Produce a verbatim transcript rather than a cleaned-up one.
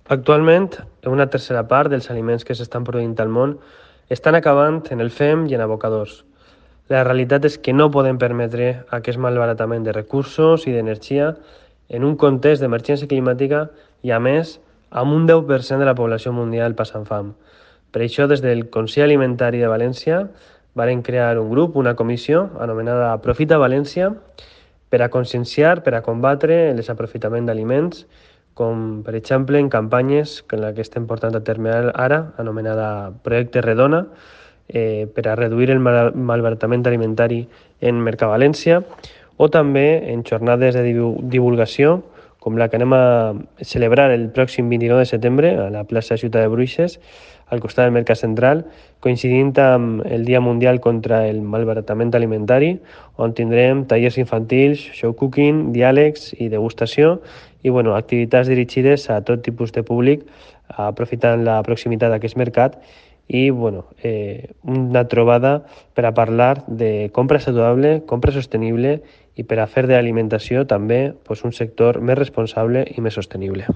Actualment, una tercera part dels aliments que s'estan produint al món estan acabant en el fem i en abocadors. La realitat és que no podem permetre aquest malbaratament de recursos i d'energia en un context d'emergència climàtica i, a més, amb un deu per cent de la població mundial passant fam. Per això, des del Consell Alimentari de València, varen crear un grup, una comissió, anomenada Aprofita València, per a conscienciar, per a combatre el desaprofitament d'aliments, com per exemple en campanyes que la que estem portant a terme ara, anomenada Projecte Redona, eh, per a reduir el mal malbaratament alimentari en Mercavalència, o també en jornades de divulgació, com la que anem a celebrar el pròxim vint-i-nou de setembre a la plaça Ciutat de Bruixes, al costat del Mercat Central, coincidint amb el Dia Mundial contra el Malbaratament Alimentari, on tindrem tallers infantils, show cooking, diàlegs i degustació, i bueno, activitats dirigides a tot tipus de públic, aprofitant la proximitat d'aquest mercat, i bueno, eh, una trobada per a parlar de compra saludable, compra sostenible i per a fer de l'alimentació també pues, un sector més responsable i més sostenible.